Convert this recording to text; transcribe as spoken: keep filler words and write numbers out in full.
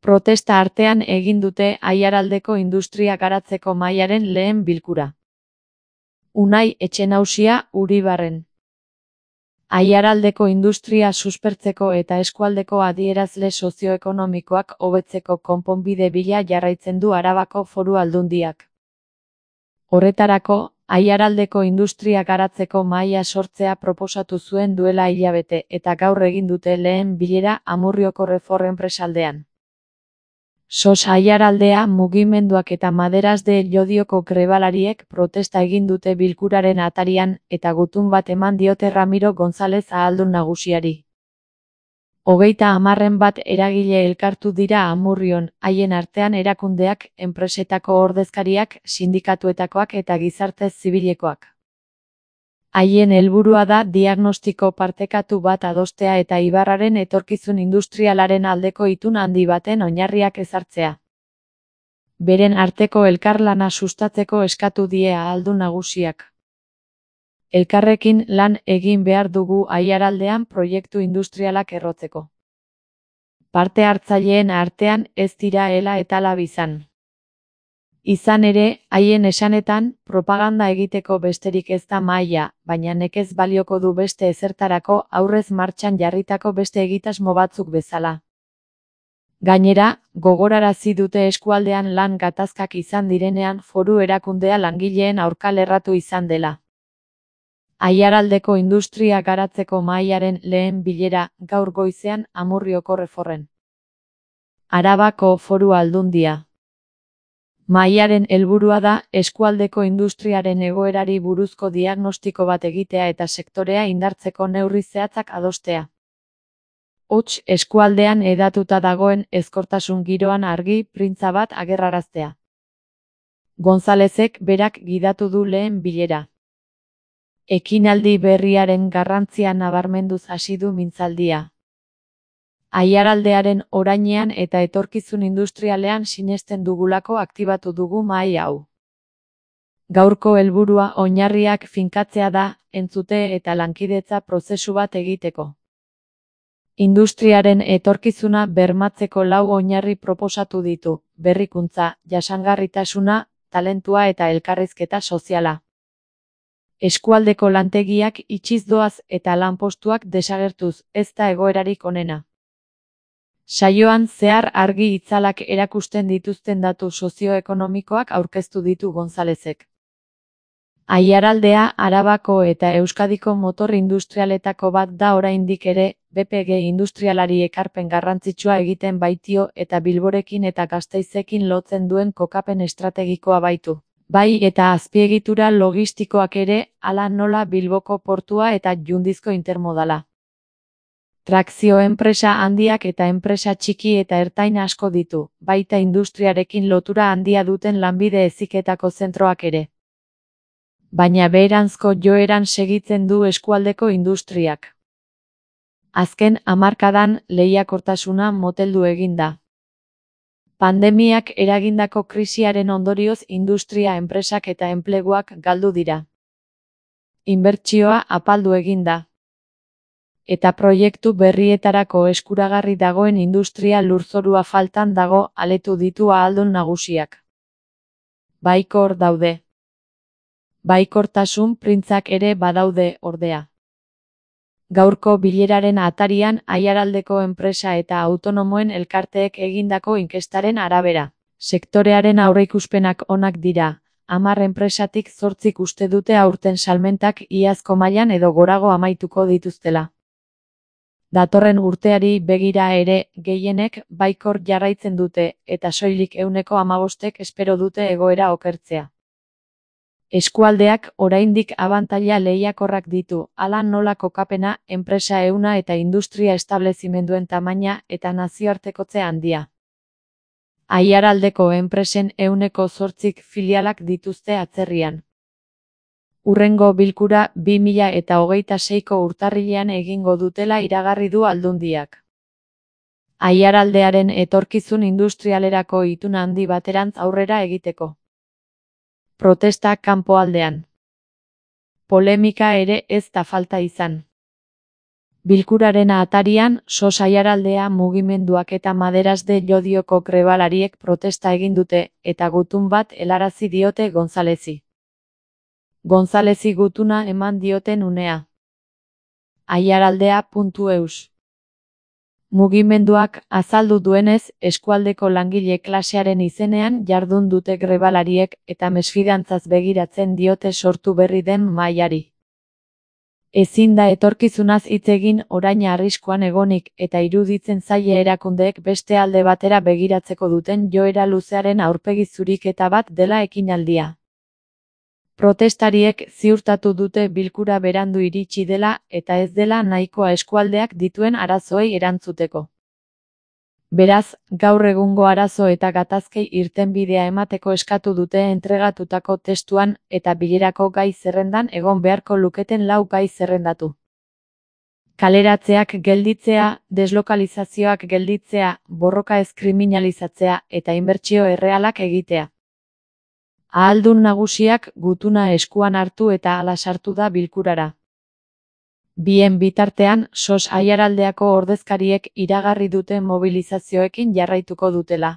Protesta artean egin dute Aiaraldeko industria garatzeko mahaiaren lehen bilkura. Unai Etxenausia, Uribarren. Aiaraldeko industria suspertzeko eta eskualdeko adierazle sozioekonomikoak hobetzeko konponbide bila jarraitzen du Arabako Foru Aldundiak. Horretarako, Aiaraldeko industria garatzeko mahaia sortzea proposatu zuen duela hilabete eta gaur egin dute lehen bilera Amurrioko Refor enpresaldean. Sos Aiaraldea mugimenduak eta Maderas de Llodioko grebalariek protesta egin dute bilkuraren atarian eta gutun bat eman diote Ramiro González ahaldun nagusiari. Hogeita hamarren bat eragile elkartu dira Amurrion, haien artean erakundeak, enpresetako ordezkariak, sindikatuetakoak eta gizarte zibilekoak. Haien helburua da diagnostiko partekatu bat adostea eta Ibarraren etorkizun industrialaren aldeko itun handi baten oinarriak ezartzea. Beren arteko elkarlana sustatzeko eskatu die ahaldun nagusiak. Elkarrekin lan egin behar dugu Aiaraldean proiektu industrialak errotzeko. Parte hartzaileen artean ez dira ela eta lab izan. Izan ere, haien esanetan, propaganda egiteko besterik ez da mahaia, baina nekez balioko du beste ezertarako aurrez martxan jarritako beste egitasmo batzuk bezala. Gainera, gogorarazi dute eskualdean lan gatazkak izan direnean foru erakundea langileen aurka lerratu izan dela. Aiaraldeko industria garatzeko mahaiaren lehen bilera gaur goizean Amurrioko Reforren. Arabako Foru Aldundia. Mahaiaren helburua da eskualdeko industriaren egoerari buruzko diagnostiko bat egitea eta sektorea indartzeko neurri zehatzak adostea. Hots eskualdean hedatuta dagoen ezkortasun giroan argi printza bat agerraraztea. Gonzalezek berak gidatu du lehen bilera. Ekinaldi berriaren garrantzia nabarmenduz hasi du mintzaldia. Aiaraldearen orainean eta etorkizun industrialean sinesten dugulako aktibatu dugu mahai hau. Gaurko helburua oinarriak finkatzea da, entzute eta lankidetza prozesu bat egiteko. Industriaren etorkizuna bermatzeko lau oinarri proposatu ditu, berrikuntza, jasangarritasuna, talentua eta elkarrizketa soziala. Eskualdeko lantegiak itxiz doaz eta lanpostuak desagertuz, ez da egoerarik onena. Saioan zehar argi itzalak erakusten dituzten datu sozioekonomikoak aurkeztu ditu Gonzalezek. Aiaraldea Arabako eta Euskadiko motor industrialetako bat da oraindik ere, B P G industrialari ekarpen garrantzitsua egiten baitio eta Bilborekin eta Gasteizekin lotzen duen kokapen estrategikoa baitu. Bai eta azpiegitura logistikoak ere, hala nola Bilboko portua eta Jundizko intermodala. Trakzio enpresa handiak eta enpresa txiki eta ertain asko ditu, baita industriarekin lotura handia duten lanbide heziketako zentroak ere. Baina beheranzko joeran segitzen du eskualdeko industriak. Azken hamarkadan lehiakortasuna moteldu egin da. Pandemiak eragindako krisiaren ondorioz industria enpresak eta enpleguak galdu dira. Inbertsioa apaldu egin da. Eta proiektu berrietarako eskuragarri dagoen industria lurzorua faltan dago aletu ditu ahaldun nagusiak. Baikor daude. Baikortasun printzak ere badaude, ordea. Gaurko bileraren atarian Aiaraldeko enpresa eta autonomoen elkarteek egindako inkestaren arabera. Sektorearen aurreikuspenak onak dira, hamar enpresatik zortzik uste dute aurten salmentak iazko mailan edo gorago amaituko dituztela. Datorren urteari begira ere, gehienek baikor jarraitzen dute, eta soilik ehuneko hamabostek espero dute egoera okertzea. Eskualdeak oraindik abantaila lehiakorrak ditu, hala nola kokapena, enpresa ehuna eta industria establezimenduen tamaina eta nazioartekotze handia. Aiaraldeko enpresen ehuneko zortzik filialak dituzte atzerrian. Hurrengo bilkura bi mila eta hogeita seiko urtarrilean egingo dutela iragarri du Aldundiak. Aiaraldearen etorkizun industrialerako itun handi baterantz aurrera egiteko. Protesta kanpoaldean. Polemika ere ez da falta izan. Bilkuraren atarian, sos aiaraldea mugimenduak eta Maderas de Llodioko grebalariek protesta egin dute, eta gutun bat helarazi diote Gonzalezi. Gonzalezi gutuna eman dioten unea. aiaraldea puntu eus. Mugimenduak azaldu duenez, eskualdeko langile klasearen izenean jardun dute grebalariek eta mesfidantzaz begiratzen diote sortu berri den mahaiari. Ezin da etorkizunaz hitz egin orain arriskuan egonik eta iruditzen zaie erakundeek beste alde batera begiratzeko duten joera luzearen aurpegi zuriketa bat dela ekinaldia. Protestariek ziurtatu dute bilkura berandu iritsi dela eta ez dela nahikoa eskualdeak dituen arazoei erantzuteko. Beraz, gaur egungo arazo eta gatazkei irtenbidea emateko eskatu dute entregatutako testuan eta bilerako gai zerrendan egon beharko luketen lau gai zerrendatu. Kaleratzeak gelditzea, deslokalizazioak gelditzea, borroka ez kriminalizatzea eta inbertsio errealak egitea. Ahaldun nagusiak gutuna eskuan hartu eta hala sartu da bilkurara. Bien bitartean, sos aiaraldeako ordezkariek iragarri dute mobilizazioekin jarraituko dutela.